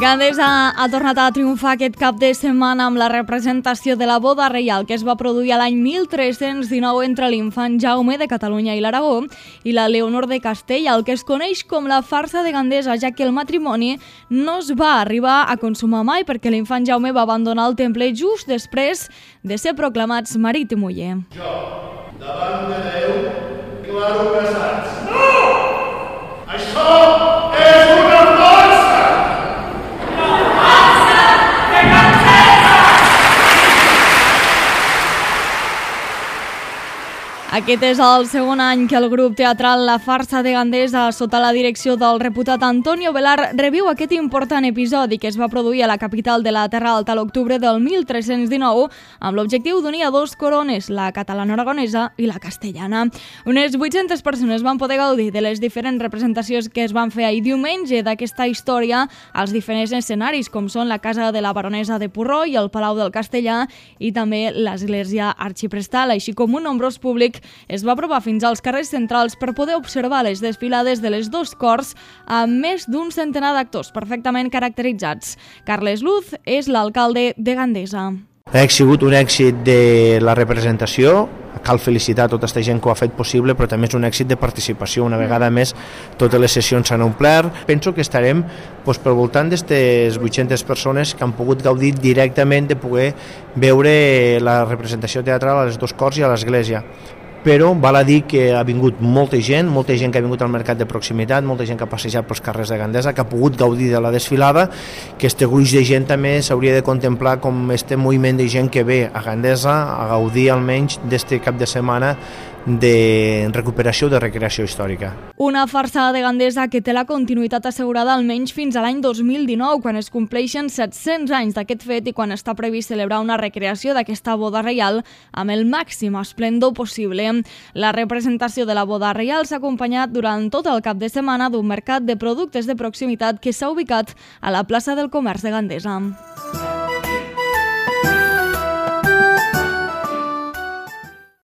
Gandesa ha tornat a triomfar aquest cap de setmana amb la representació de la boda reial que es va produir l'any 1319 entre l'infant Jaume de Catalunya i l'Aragó i la Leonor de Castella, el que es coneix com la farsa de Gandesa, ja que el matrimoni no es va arribar a consumar mai perquè l'infant Jaume va abandonar el temple just després de ser proclamats marit i muller. Jo, davant de Déu, declaro casats. No! Això és una farsa! Aquest és el segon any que el grup teatral La Farsa de Gandesa, sota la direcció del reputat Antonio Velar, reviu aquest important episodi que es va produir a la capital de la Terra Alta a l'octubre del 1319 amb l'objectiu d'unir a dos corones, la catalano-aragonesa i la castellana. Unes 800 persones van poder gaudir de les diferents representacions que es van fer ahir diumenge d'aquesta història als diferents escenaris, com són la Casa de la Baronesa de Porró i el Palau del Castellà i també l'Església Arxiprestal, així com un nombrós públic es va aprovar fins als carrers centrals per poder observar les desfilades de les dos cors amb més d'un centenar d'actors perfectament caracteritzats. Carles Luz és l'alcalde de Gandesa. Ha sigut un èxit de la representació, cal felicitar tota aquesta gent que ho ha fet possible, però també és un èxit de participació. Una vegada més, totes les sessions s'han omplert. Penso que estarem pel voltant d'aquestes 800 persones que han pogut gaudir directament de poder veure la representació teatral a les dos cors i a l'església. Però val a dir que ha vingut molta gent que ha vingut al mercat de proximitat, molta gent que ha passejat pels carrers de Gandesa, que ha pogut gaudir de la desfilada, que este gruix de gent també s'hauria de contemplar com este moviment de gent que ve a Gandesa a gaudir almenys d'este cap de setmana de recuperació, de recreació històrica. Una farsa de Gandesa que té la continuïtat assegurada almenys fins a l'any 2019, quan es compleixen 700 anys d'aquest fet i quan està previst celebrar una recreació d'aquesta boda reial amb el màxim esplendor possible. La representació de la boda reial s'ha acompanyat durant tot el cap de setmana d'un mercat de productes de proximitat que s'ha ubicat a la plaça del Comerç de Gandesa.